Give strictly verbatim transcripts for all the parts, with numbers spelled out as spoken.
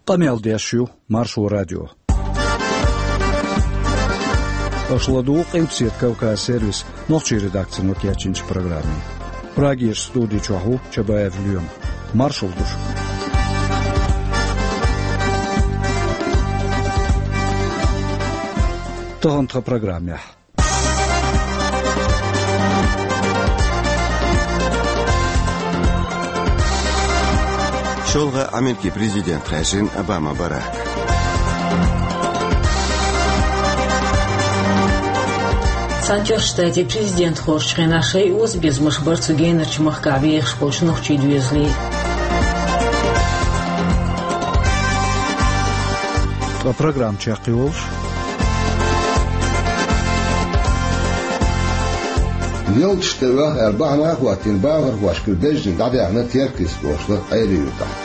Къамел деш ю Маршо радио. Аша ладугӀу Къилбаседа Кавказ сервисан нохчийн редакцино кечйинчу программе. Прагерчу студи чохь ву Чабаев Лоьма. Маршалла ду шуьга. Тахана тхан программехь. ШолгӀа Америкин президент хаьржина Обама Барак. Цхьаьнатоьхначу Штатийн президент хоржучу хенахь шайн озабезамаш бара цу генарчу махкахь вехаш болчу нохчийн доьзалийн. Ткъа программа чекхйолуш. Ялташ тӀе оьху аьлла бахьана а хӀоттийна, бахархошкара беззина дӀадаьхна Теркйист-оьрсийн Ӏуьйре юкъахь.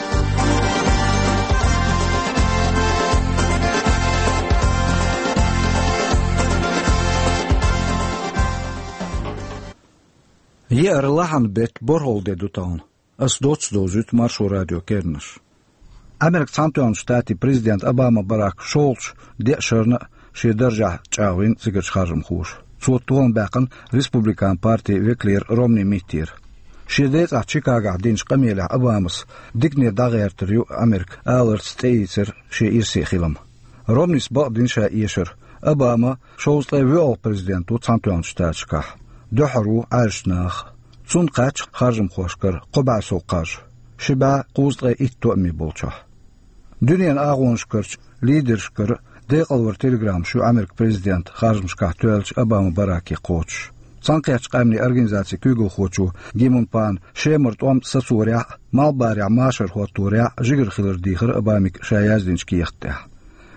Еара лахьана беттан борхӀалгӀа де ду тахана. Ас доцца довзуьйту Маршо радион керланаш. Америкин Цхьаьнатоьхначу Штатийн президент Обама Барак шолгӀачу деа шарна а шен даржехь чӀагӀвина цигарчу харжамхоша. Цо толам баьккхина республикан партин векалера Ромни Миттера. Шен декъехь Чикагохь динчу къамелехь Обамас дикане дӀагӀертар ю Америка аларца тӀеийцира шен ирсе хилам. Ромнис бакъдина ша эшар: Обама шовзткъе воьалгӀа президент ву Цхьаьнатоьхначу Штаташкахь, дуьххьара ву Ӏаьржачу наха. Цунна кхаьчна харжамхошкара кхо бӀе сов кхаж, ши бӀе кхузткъе итт тоъаме болчохь. Дуьненан агӀонашкарчу лидершкара декъалваран телеграммаш ю Америкин президентан харжамашкахь тоьллачу Обама Бараке кхочуш. Цхьаьнакхеттачу къаьмнийн организацин куьйгалхочо Ги Мун Пана Шемара тӀом сацорехь а, малхбалехь машар хӀотторехь а жигара хилар дийхира Обамига ша яздинчу кехат тӀехь.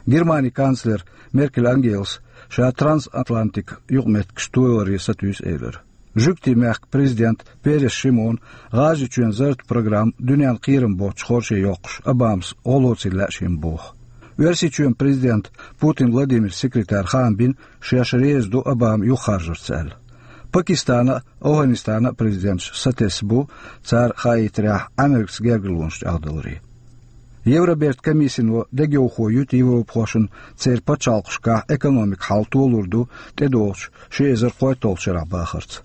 Германин канцлера Меркель Ангелас ша трансатлантик юкъаметтигаш толаре сатуьйсу элира. Жуьгтийн мехкан президента Перес Шимона ГӀажарийчоьнан зарратан программа дуьненна кхерам боццуш хорше йоккхуш, Обамас гӀо лоцийла лаьа шена боху. Оьрсийчоьнан президентан Путин Владимиран секретара хаам бина, шаьш реза ду Обама юхахаржарца аьлла. Пакистана а, АфгӀанистана а президенташ сатесна бу, цара хаийтарехь, Америкаца гергарлонаш чӀагӀдаларе. Евробертан комиссино дегайовхо юьту европахошна церан пачхьалкхашкахь экономикан хьал толур ду тӀедогӀучу ши эзар кхойтталгӀачу шарахь бахарца.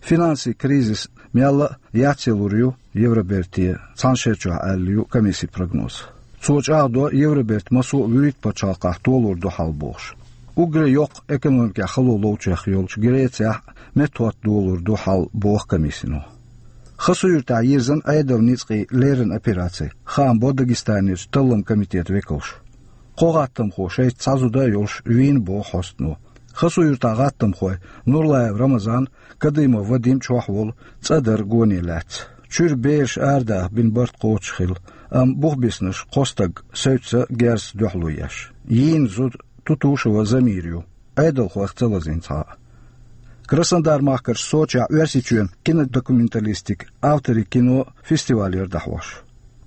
Финансийн кризис мелла а яцъялур ю Евроберте цхьана шера чохь аьлла ю комиссин прогноз. Цо чӀагӀдо Евробертан массо а вуьрхӀитта пачхьалкхехь толур ду хьал бохуш. Уггаре йоккха экономикехь хало ловчех йолчу Грецехь а меттахӀотта долур ду хьал боху комиссино. Хасавюртахь йирзина Ӏедалан ницкъийн леррина операци, хаам бо Дагестанерчу талламан комитетан векалша. Кхо гӀаттамхо шайца цхьа зуда а йолуш вийна боху хьостано. Хасавюртахь гӀаттамхой Нурлаев Рамазан, Кадымов Вадим чохь волу цӀа дар гоне лаьцна. Чуьра бераш арадаха бина барт кхочуш хилла, амма бух биснарш кхо стаг, севцца герзаца дуьхьало еш. Йийна зуда Тутушева Замира ю, Ӏедалхойх ца лазийна цхьа а. Краснодар-махкарчу Сочехь Оьрсийчоьнан кинодокументалистикан авторийн кино фестивалера дӀахьош.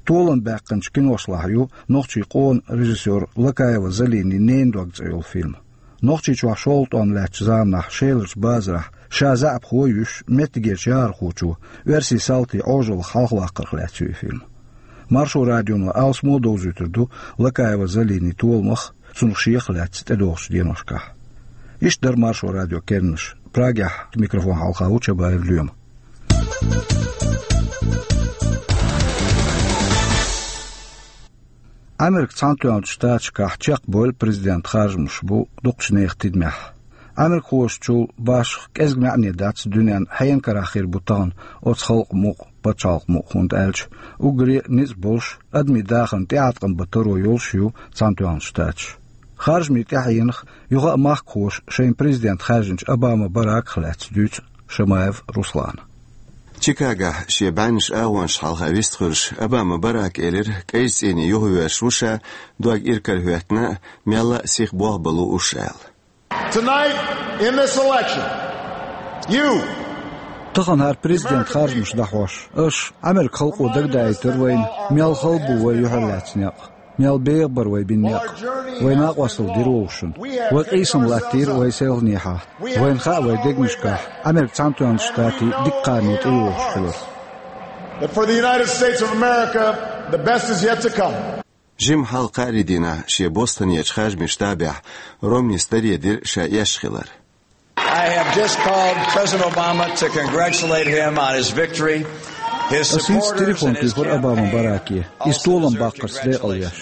Толам баьккхинчу киношлахь ю нохчийн къона режиссёр Лакаева Залинин «Ненан дог» цӀе йолу фильм. Нохчийчохь шолгӀа тӀом лаьттачу заманахь Шеларчу базарахь ша заьӀапхо а юьсуш, меттигерчу яхархочо оьрсийн салтийн Ӏожаллах хьалхаваккхарх лаьцна ю и фильм. Маршо радионо алсамо а довзуьйтур ду Лакаева Залинин толамах, цунах шех а лаьцна тӀедогӀучу деношкахь. Иштта дара Маршо радион керланаш. Прагехь микрофон хьалха ву Чабаев Лоьма. Америкин Цхьаьнатоьхначу Штаташкахь чекхбевлла президентан харжамаш бу дукхачу нехан тидамехь. Америкахошчул башха кӀезиг маьӀне дац дуьненна хьенан карахь хир бу тахана оцу халкъан мукъ, пачхьалкхан мукъ, хӀунда аьлча уггаре а ницкъ болуш, адамийн дахарна тӀеӀаткъам бан таро йолуш ю Цхьаьнатоьхначу Штаташ. Харжамийн тӀаьхьенах юха а махкахоша шайн президент хаьржинчу Обама Бараках лаьцна дуьйцу Шамаев Руслана. Чикагохь шен бӀеннаш агӀонаш хьалха вистхуьлуш Обама Барака элира, кӀайчу цӀийне юхавоьрзуш ву ша, дог иракарахӀоьттина а, мелла а сиха болх бан лууш аьлла. Tonight, in this election, you Тахана хӀара президент харжамаш дӀахьош, аша, Америкин халкъо, дагадаийтира вайна, мел хала бу вай юьхьарлаьцна некъ, мел беха бара вай бина некъ. Вай накъосталла дира вовшашна. Вай къийсам латтийра вай селханехьа. Вайна хаьа вай дегнашкахь Америкин Цхьаьнатоьхначу Штатийн дика кхарна тӀейогӀуш хилар. That for the United States of America, the best is yet to come. Жимма хьалха кхаарин дийнахь шен Бостонерчу харжамийн штабехь Ромнис даре дира ша эшна хилар. I have just called President Obama to congratulate him on his victory. His Ас хӀинца телефон туьйхира Обама Бараке, иза толам баккхарца декъалвеш.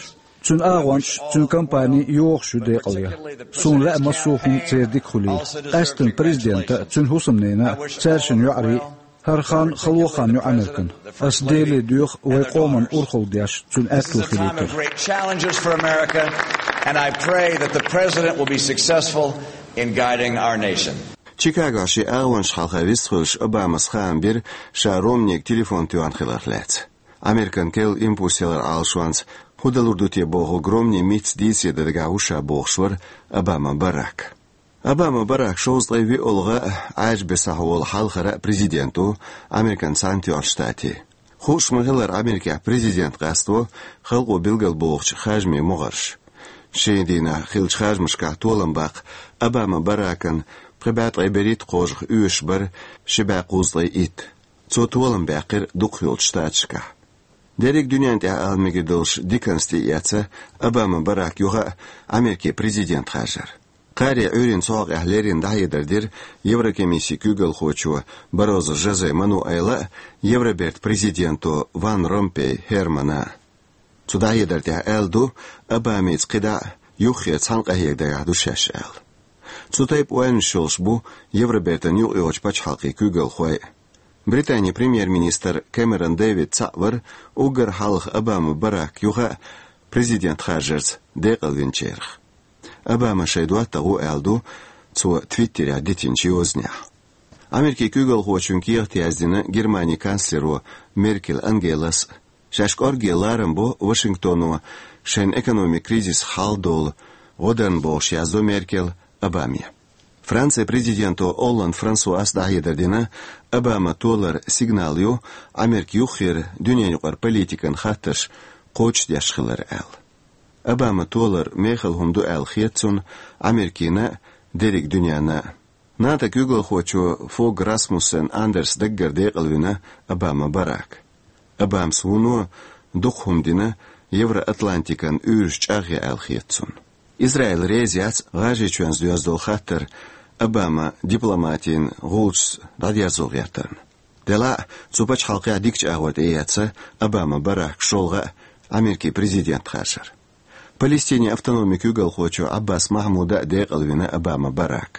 Цуьнан агӀончаш, цуьнан кампани йохуш ю декъалвеш. Суна лаьа массо а хӀума церан дика хуьлийла. Къаьсттина президента а, цуьнан хӀусамнена а, цаьршиннан йоӀарий а. ХӀара хан хало хан ю Американ. Ас Деле доьху вайн къоман урхалла деш, цуьнан аьтто хилийтар. Great challenges for America, and I pray that the president will be successful in guiding our nation. Чикагохь шен агӀончашна хьалха вистхуьлуш, Обамас хаам бира ша Ромнига телефон тоьхна хиларх лаьцна. Американ керла импульс яларан Ӏалашонца хӀун далур ду те бохург Ромни мицца дийцаре дан дагахь ву ша бохуш вара Обама Барак. Обама Барак шовзткъе виъолгӀа а, Ӏаьржа бесахь волу хьалхара а президент ву Американ Цхьаьнатоьхначу Штатийн. Хууш ма-хиллара, Америкехь президент къасто халкъо билгалбохучу харжамийн могӀарш. Шина дийнахь хиллачу харжамашкахь толам баккха Обама Баракан пхи бӀе ткъе берхӀитта кхожах оьшуш бара ши бӀе кхузткъе итт. Цо толам баьккхира дукхахйолчу штаташкахь. Дерриг дуьнен тӀехь ала мегар долуш диканца тӀеэцна Обама Барак юха а Америкин президент харжар. Кхаарин Ӏуьйранна цхьоъ къехь леррина дӀахьедар дира Еврокомиссин куьйгалхочо Баррозу Жозе Мануэла а, Евробертан президенто Ван Ромпей Хермана а. Цу дӀахьедар тӀехь аьлла ду, Обамица кхидӀа а юххера цхьаьна къахьега дагахь ду шаьш аьлла. Цу тайпа ойланаш йолуш бу Евробертан юкъайогӀучу пачхьалкхийн куьйгалхой а. Британин премьер-министр Кэмерон Дэвид цхьаъ вара уггар хьалха Обама Барак юха а президент харжарца декъалвинчарах. Обама шайн доттагӀа ву аьлла ду цо Твиттерехь дитинчу йозанехь. Америкин куьйгалхочун кехат яздина Германин канцлеро Меркель Ангелас а. Шаьш кӀорге ларам бо Вашингтоно шайн экономикан кризисах хьалдолу гӀо дарна бохуш, яздо Меркель Обаме. Францин президенто Олланд Франсуас дӀахьедар дина, Обама толар сигнал ю Америка юххера дуьненаюкъара политикан хаттарш кхочушдеш хилар аьлла. Обама толар мехала хӀума ду аьлла хета цунна Америкина а, дерриг дуьненна а. НАТО-н куьйгалхочо Фог Расмуссен Андерс даггара декъалвина Обама Барак. Обамас вуно дукха хӀума дина Евроатлантикан уьйраш чӀагӀъян аьлла хета цунна. Израиль реза яц ГӀажарийчоьнца доьзна долу хаттар Обама дипломатин гӀулчашца дӀадерзо гӀертарна. Делахь а, цу пачхьалкхехь дикачу агӀор тӀеэцна Обама Барак шолгӀа а Америкин президент харжар. Палестинин автономин куьйгалхочо Ӏаббас Махьмуда а декъалвина Обама Барак.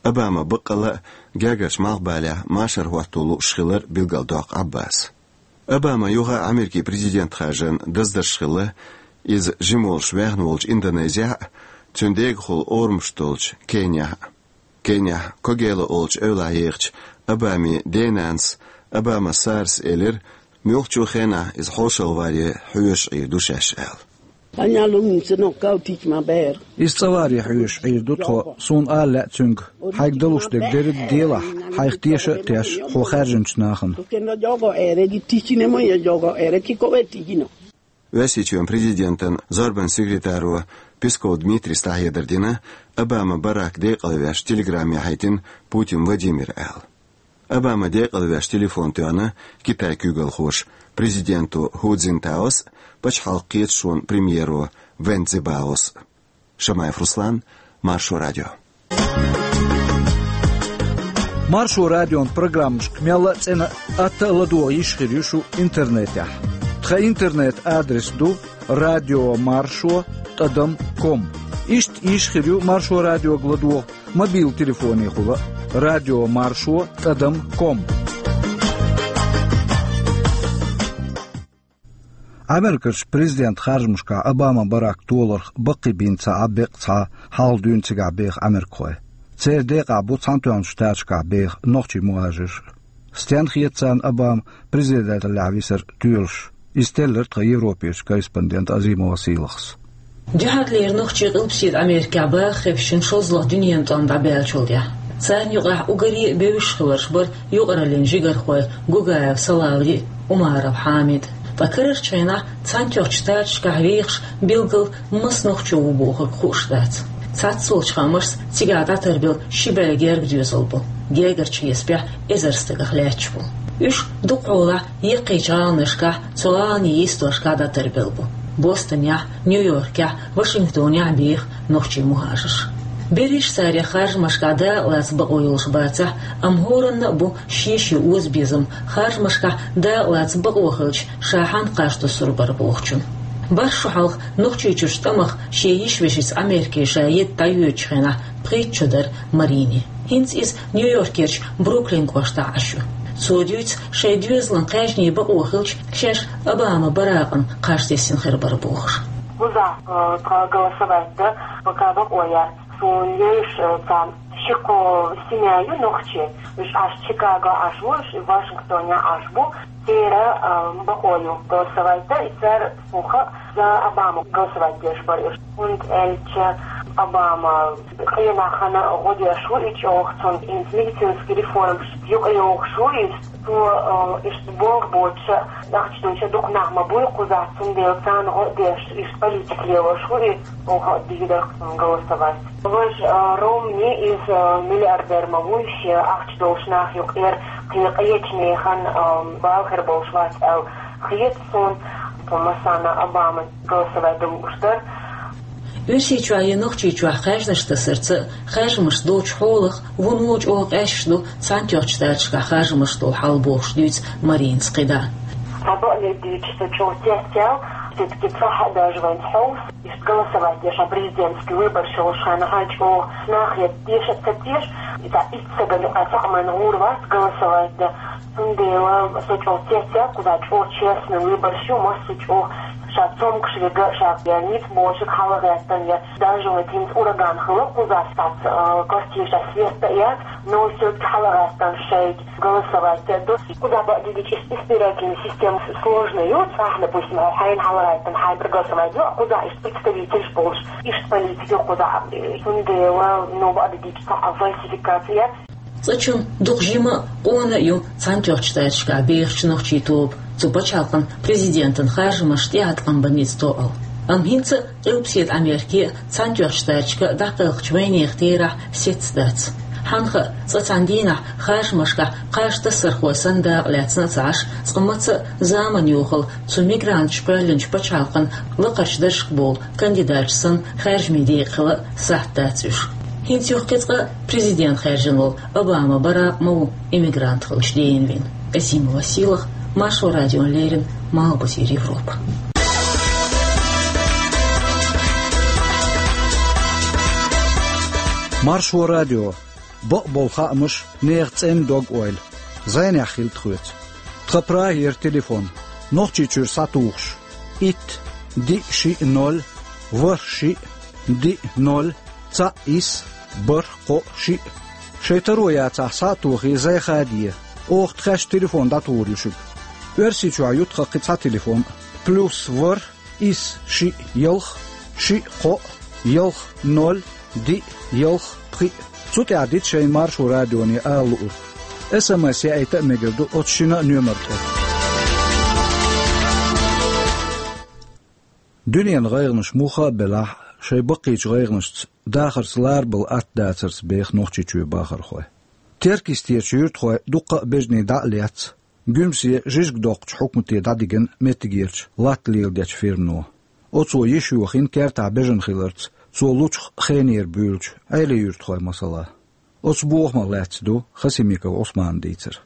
Обама баккъалла а гергарчу малхбалехь машар хӀотто лууш хилар билгалдоккху Ӏаббаса. Обама юха а Америкин президент харжарна даздарш хилла, иза жима волуш ваьхна волчу Индонезехь а, цуьнан дегахула орамаш долчу Кенехь а. Кенехь Когела олучу эвлахь ехачу Обамин денанас Обама Сарас элира, муьлххачу хенахь иза хьошалгӀа варе хьоьжуш Ӏийр ду шаьш аьлла. Иза цӀа варе хьоьжуш Ӏийр ду тхо, суна ала лаьа цуьнга, хьайга далуш дерг дерриг а делахь, хьайх теша а теш, хьо хаьржинчу нахана. Оьрсийчоьнан президентан зорбанан секретаро Песков Дмитрийс дӀахьедар дина, Обама Барак декъалвеш телеграмма яхьийтина Путин Владимира аьлла. Обама декъалвеш телефон тоьхна Китайн куьйгалхоша президенто Ху Цзиньтаос а, пачхьалкхан кхеташонан премьеро Вэн Цзябаос а. Шамаев Руслан, Маршо радио. Маршо радион программашка мелла а цӀена а, атта а ладогӀа йиш хир ю шу интернетехь. Тхан интернет-адрес ду радиомаршо тӀадам ком. Иштта йиш хир ю Маршо радиога ладогӀа мобил телефонехула а, радиомаршо тӀадам ком. Америкерчу президент харжамашкахь Обама Барак толарх баккхийбина ца Ӏа беккъа цхьа хьалха дуьйна цигахь беха америкахой. Церан декъахь бу Цхьаьнатоьхначу Штаташкахь беха нохчий мухӀажирш а. Стенна хета царна Обама президенталлехь висар тоьлуш? Иза теллира тхан Европерчу корреспондента Азимова Сийлахас. Дуьххьарлера нохчий Къилбаседа Америкехь баха хевшина шозлагӀа дуьненан тӀом дӀабаьллачул тӀаьхьа. Царна юкъахь уггаре а бевзаш хиларш бара юкъараллин жигархой Гугаев Салавди а, Умаров Хьамид а. Ткъа карарчу хенахь Цхьаьнатоьхначу Штаташкахь вехаш билггал маса нохчо ву бохург хууш дац. Цхьацца волчу хаамашца, цигахь дӀатарбелла ши бӀе герга доьзал бу, гергарчу хьесапехь эзар стагах лаьтташ бу. Уьш дукхахьолахь яккхийчу гӀаланашкахь, цу гӀаланийн йистошкахь дӀатарбелла бу. Бостонехь, Нью-Йоркехь, Вашингтонехь беха нохчий мухӀажарш. Берриш а царех харжамашкахь дакъалаца бакъо йолуш бацахь а, амма хӀоранна а бу шен-шен озабезам харжамашкахь дакъалаца бакъо хилча ша хьанна кхаж туссур бара бохучун. БархӀ шо хьалха Нохчийчуьрчу тӀамах шен йиша-вешица Америке ша едда дӀайоьдучу хенахь пхийтта шо дара Маринин. ХӀинца иза Нью-Йоркерчу Бруклин кӀоштахь Ӏаш ю. Цо дуьйцу, шайн доьзалан кхаьжнийн бакъо хилча, шаьш Обама Баракъана кхаж тесна хир бара бохуш. Кхузахь, э, тхан голосовать дан пока бакъо яц. Суна леш, э, цхьа ши-кхо семья ю нохчий. Уьш Ӏаш Чикаго Ӏаш ву, уьш Вашингтонехь Ӏаш бу. Церан, э, бакъо ю голосовать дан, и цара, суна хаьа, за Обама голосовать деш бара уьш. ХӀунда аьлча Обама къинах хьан гӀо деш ву и чӀогӀа, цунна хӀинца медицинский реформаш юкъайохуш ву иза. Цо, э, иштта болх боцуша, ахча долча дукха нах ма буй кхузахь, цундела царна гӀо а деш, иштта политика лелош ву и, оха дийр дара-кх цунна голосовать. Важа, э, Ромни, иза, э, миллиардер ма вуй, шен ахча долуш нах юкъера кхин къечу нехан, э, бала хир болуш вац аьлла хета суна, тхо массарна Обама голосовать дан лууш дара. Оьрсийчохь я Нохчийчохь кхаьжнаш тасарца а, харжамаш долчу хьолах а вуно чӀогӀа къаьсташ ду Цхьаьнатоьхначу Штаташкахь харжамаш долу хьал бохуш дуьйцу Маринас кхидӀа. Цхьа бакъдерг дийцича, со чӀогӀа цецваьлла, все-таки цхьа а даже вайна хьовса, иштта голосовать деш, хьан президентский выбораш йолуш хенахь чӀогӀа нах я теша а ца теша, и цхьа итт сагана юкъа цхьа а майна гӀур вац голосовать дан. Цундела со чӀогӀа цецваьлла, кхузахь чӀогӀа честный выбораш ю, массо а чӀогӀа ша цомгуш верг а, ша я ницкъ болчерг хьалагӀаьттина, я даже вот хӀинца ураган хилла кхузахь, цхьацца, э, квартирашкахь свет а яц, но все-таки хьалагӀаьттина шайга голосовать а ду. Кхузахь бакъдерг дийцича, избирательная система сложная ю, цхьа, допустим, хьайна хьалагӀаьттина хьайн проголосовать ду, кхузахь иштта представителаш болуш, иштта политика ю кхузахь, э, цундела, ну, бакъдерг дийцича, цхьа а фальсификация яц. Цкъачунна дукха жима а, къона а ю Цхьаьнатоьхначу Штаташкахь бехачу нохчийн тоба цу пачхьалкхан президентан харжамашна тӀеӀаткъам бан ницкъ тоъал. Амма хӀинца а Къилбаседа Америке а, Цхьаьнатоьхначу Штаташка а дӀакхелхачу вайнехан терахь сецца дац. Хьанна хаьа, цкъа цхьана дийнахь харжамашкахь кхаж тассархой санна дакъа лаьцна а ца Ӏаш, цкъа маца а заманан йохалла цу мигранташа кхоьллинчу пачхьалкхан лакхарчу даржашка болу кандидаташ санна, харжамийн декъа хила а сахьт дац уьш. ХӀинца юха кхин цкъа президент хаьржина волу Обама Баракъ ма ву иммигрант хилча дийна вина. Азимова Сийлаха, Маршо радиона леррина, Малхбузера Европа. Маршо радио. Бакъболу хаамаш, нехан цӀена дог-ойла. ЗӀенехь хила тхоьца. Тхан Прагера телефон. Нохчийчуьра схьатухуш: итт, диъ, шиъ, ноль, ворхӀ, шиъ, диъ, ноль, цхьаъ, исс, бархӀ, кхоъ, шиъ. Шайн таро яцахь, схьа а тохий, зӀе ха де. Оха тхаьш телефон дӀатухур ю шуьга. Оьрсийчохь ю тхан кхин цхьа телефон: плюс ворхӀ, исс, шиъ, ялх, шиъ, кхоъ, ялх, ноль, диъ, ялх, пхиъ. Цу тӀехь дита шайна Маршо радионе ала луург. СМС яийта а мегар ду оцу шина а номер тӀе. Дуьненан гӀайгӀанаш муха а белахь, шайн баккхийчу гӀайгӀанашца, дахарца ларбала атта дацарца беха Нохчийчоьнан бахархой. Теркйистерчу юьртахой дуккха а бежанийн дӀа а лецна, Гуьмсе, Жижиг-Доккхачу хьукмате дӀадигна меттигерчу латта леладечу фирмано. Оцо йиш йохийна кертахь бежана хиларца, цо лучух хенера буьйлучу Ӏелин юьртахойн масала. Оцу бохамах лаьцна ду Хасимиков Ӏусманан дийцар.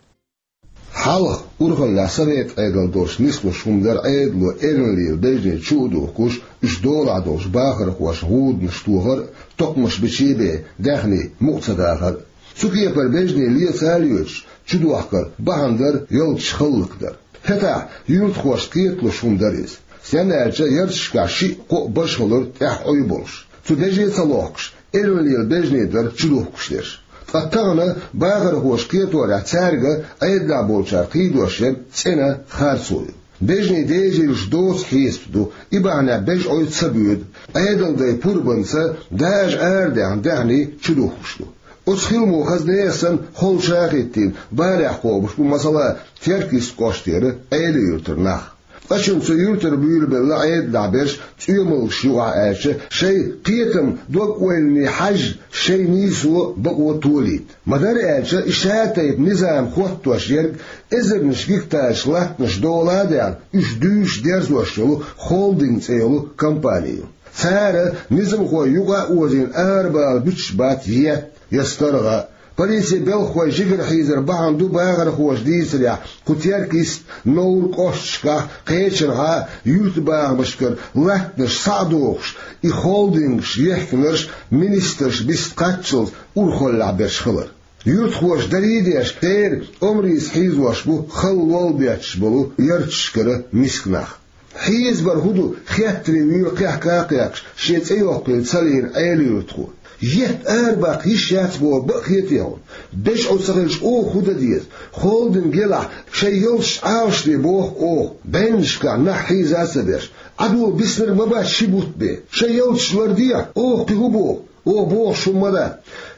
Хьалха урхаллехь совет Ӏедал долуш нислуш хӀума дара Ӏедало эрна лела бежане чу а духкуш, уьш долахь долчу бахархошна гӀуданаш тохар а, токхамаш биче а бен, даьхни мукъа ца дахар а. Цу кепара бежане леца а лоьцуш, чудохкар бахьана дара ялташ хӀаллакдар. ХӀетахь юьртахошна кхеталуш хӀума дара иза. Стенна аьлча, ярташкахь шиъ-кхоъ бажа хилира тӀаьхьа Ӏуй болуш. Цу беже ца лохкуш, эрна лела бежане дара чудухкуш дерш. Ткъа тахана бахархоша кхеторехь, цаьрга Ӏедалехь болчара кхийдош ерг цӀена харцо ю. Бежанийн дезийлаш доцу хьесап ду, и бахьанехь бежа Ӏуй ца боьду. Ӏедалдайн пурбанца дажа арадаьхна даьхни чудухкуш ду. Оцу хиламо хаза нехан санна холча а хӀиттийна, барехь кхобуш бу, масала, Теркйист кӀоштара Ӏелин юьртара нах. Ткъа шуна цу юьртара буьйлабелла Ӏедалехь берш цӀоьмалгаш юкъахь аьлча, шайн кхетам, дог-ойлане хьаьжжа, шайн нийсо, бакъо толийта. Ма-дарра аьлча, и шатайпа низам хоттош ерг эзарнаш гектараш латтанаш дола а даьхна, уьш дуьйцуш, дерзош йолу холдинг цӀе йолу компани ю. Цара низамхой юкъа а озийна арабала буьтуш бац етт я старгӀа. Полицин белхахой жигара хьийзар бахьана ду бахархоша дийцарехь, кху Теркйист, Новр кӀошташкахь, кхечанхьа юьртабахамашкара латтанаш схьа а дохуш, и холдингаш ехкинарш министраш бист кхаччалц урхаллехь берш хилар. Юьртахоша дарий а деш, церан омрица хьийзош бу халла лол бетташ болу ярташкара миска нах. Хьийзабар хӀун ду, хеттаре вуьйла кхехка а кхехкаш, шен цӀе йоккхийла ца лийна Ӏела-Юьртахо. Етт арабаккха йиш яц боху бакъ хетий хьуна? БежӀу ца хилча, оха хӀун дан деза? Холдинг елахь, шайн ялташ Ӏалашде боху оха, бӀеннашкахь нах хьийза а ца беш. Ӏадола биснарг ма бац ши бутт бен. Шайн ялташ лардехьа, оха кхин хӀун боху? Оха бохуш хӀума ма дац.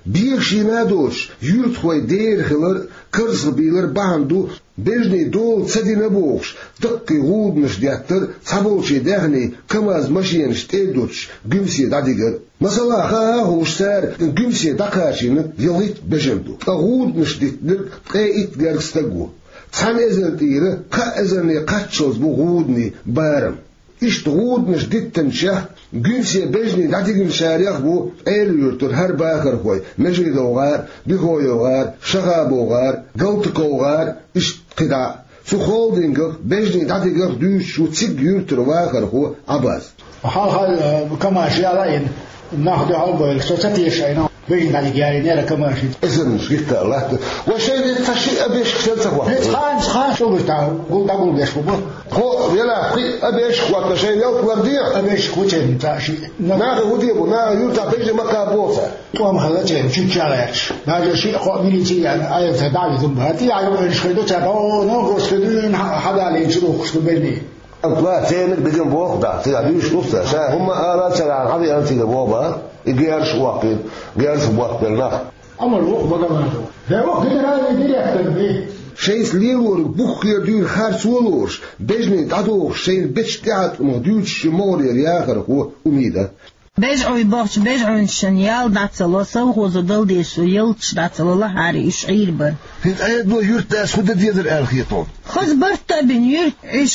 Бегашийна а доцуш, юьртахой дера хилар, карзахбийлар бахьана ду, бежанийн дола ца дина бохуш, даккхий гӀуданаш деттар, цхьаболчийн даьхний КамАЗ машенаш тӀе а дуттуш, Гуьмсе дӀадигар. Масала, хаа а хууш цара, Гуьмсе дӀакхачийнарг ялхитта бежана ду, ткъа гӀуданаш диттинарг ткъе итт гергга стаг ву. Цхьана эзарна тӀера кхаа эзарне кхаччалц бу гӀуданийн барам. Иштта гӀуданаш диттинчех, Гуьмсе бежанийн дӀадигначарех а бу Ӏела-Юьртара хӀара бахархой: МежидовгӀар, БихоевгӀар, ШахабовгӀар, ГалтаковгӀар, иштта кхидӀа а. Цу холдингах, бежанийн дӀадигах дуьйцуш ву цига юьртара вахархо Ӏабас. Хьалха, э, КамАЗ яла а йина, нах дуьхьал а бевлла, со ца теша айна. Бежанийн дӀадига ялийнера КамАЗ. Эзарнаш гиттар латта. Вай шайн де ца шиъ а бешка шен ца хӀотта. Хьан, хьан шо бу ста, гул дӀагулбеш бу бу. Хо, вела, кхин а бешка хӀотта, шайн ялта лар де. А бешка хӀу чен ца шиъ. Наха хӀу де бу, наха юьртахь бежи ма кхабболу ца. ТӀом хала чен, чуьчча а гӀерташ. Даже шиъ кхоъ милици яна, айла ца дӀа визум бара. Ти яга вайнаш хой ду ца, о, ну, Господи, хьадалийна чу духкуш ду бежанийн. Амма церниг диган боху дахь, цигахь дуьйш луц ца, ша хӀумма а ала ца ваьхьна, хьан веана цига боху бан, и герзаш а воккхийна, герзах ботт бер нах. Амма вокху бага ма ду. Ша вокху генеральный директор бий. Шайца лелориг буххера дуьйна харцо а лоруш, бежанийн дӀадохуш, шайна бечу тӀеӀаткъамах дуьйцуш ю могӀарера яхархо Умида. БежӀуй бохучу бежӀуьншна ял дӀа ца ло, совхозо дала дезаш ю ялташ дӀа ца ло, лахьари уьш Ӏийр бара. ХӀинца Ӏедало юьртдас хӀун дан дезара аьлла хета хьуна? Хаза барт а бина, юьрт уьш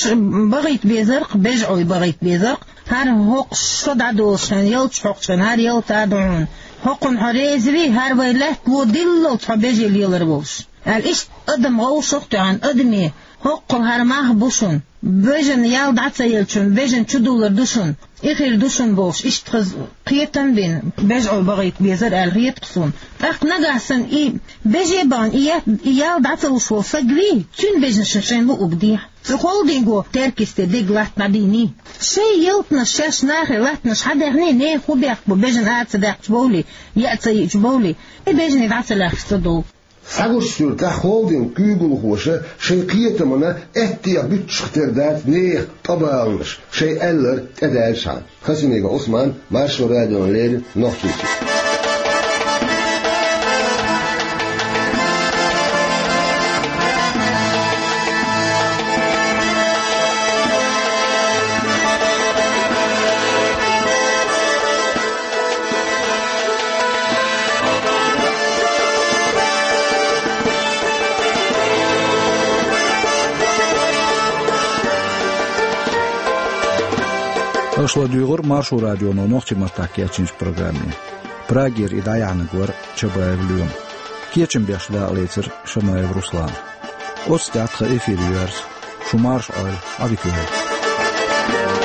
бахийта безарх, бежӀуй бахийта безарх, хӀара хӀокхуш шо дӀадолуш хен, ялташ хьокхуш хен, хӀара ялта а ду хьуна. ХӀокхунна хьо реза вий, хӀара вай лаьтта ло диллалц хьо бежи лелар волуш. Аьлла, иштта адам гӀовшах а тоьхна, адаме, хӀоккхул хӀара мах бу шуна. Бежан ял дӀа ца елчун, бежан чудуллар ду шуна, и хир ду шуна бохуш, иштта хаза кхетам а бина, бежӀуй бахийта безар аьлла хета-кх суна. ТӀаккха нагахь санна и бежи а бахана, и ет-, и ял дӀа ца луш волу саг вий, цуьнан бежанашна шайн луург дехьа. Цу холдинго Теркйисте дерг латта дӀадийний. Шайн ялтанаш шаьш нахе латтанаш хьан даьхний, нехан хӀун бехк бу, бежан ара ца даьккхича бовлий, яа ца йиъча бовлий, и бежане дӀа ца лаьхча ца довлу. Схьагучу суьртехь холдинг куьйгалхоша шайн кхетамна аьттех буьттуш тера дац нехан къабаланаш, шайн аьлларг тӀедаьлчхьана. Хасимиков Ӏусман, Маршо радиона леррина, Нохчийчуьра. Аша ладуьйгӀира Маршо радионо нохчийн маттахь кечйинчу программе. Прагера и дӀаяьхьнарг вара Чабаев Лоьма. Кечам беш дакъалецира Шамаев Руслана. Оццу тӀехь тхан эфир йоьрзу. Шу марша Ӏойла, Ӏа дика йойла.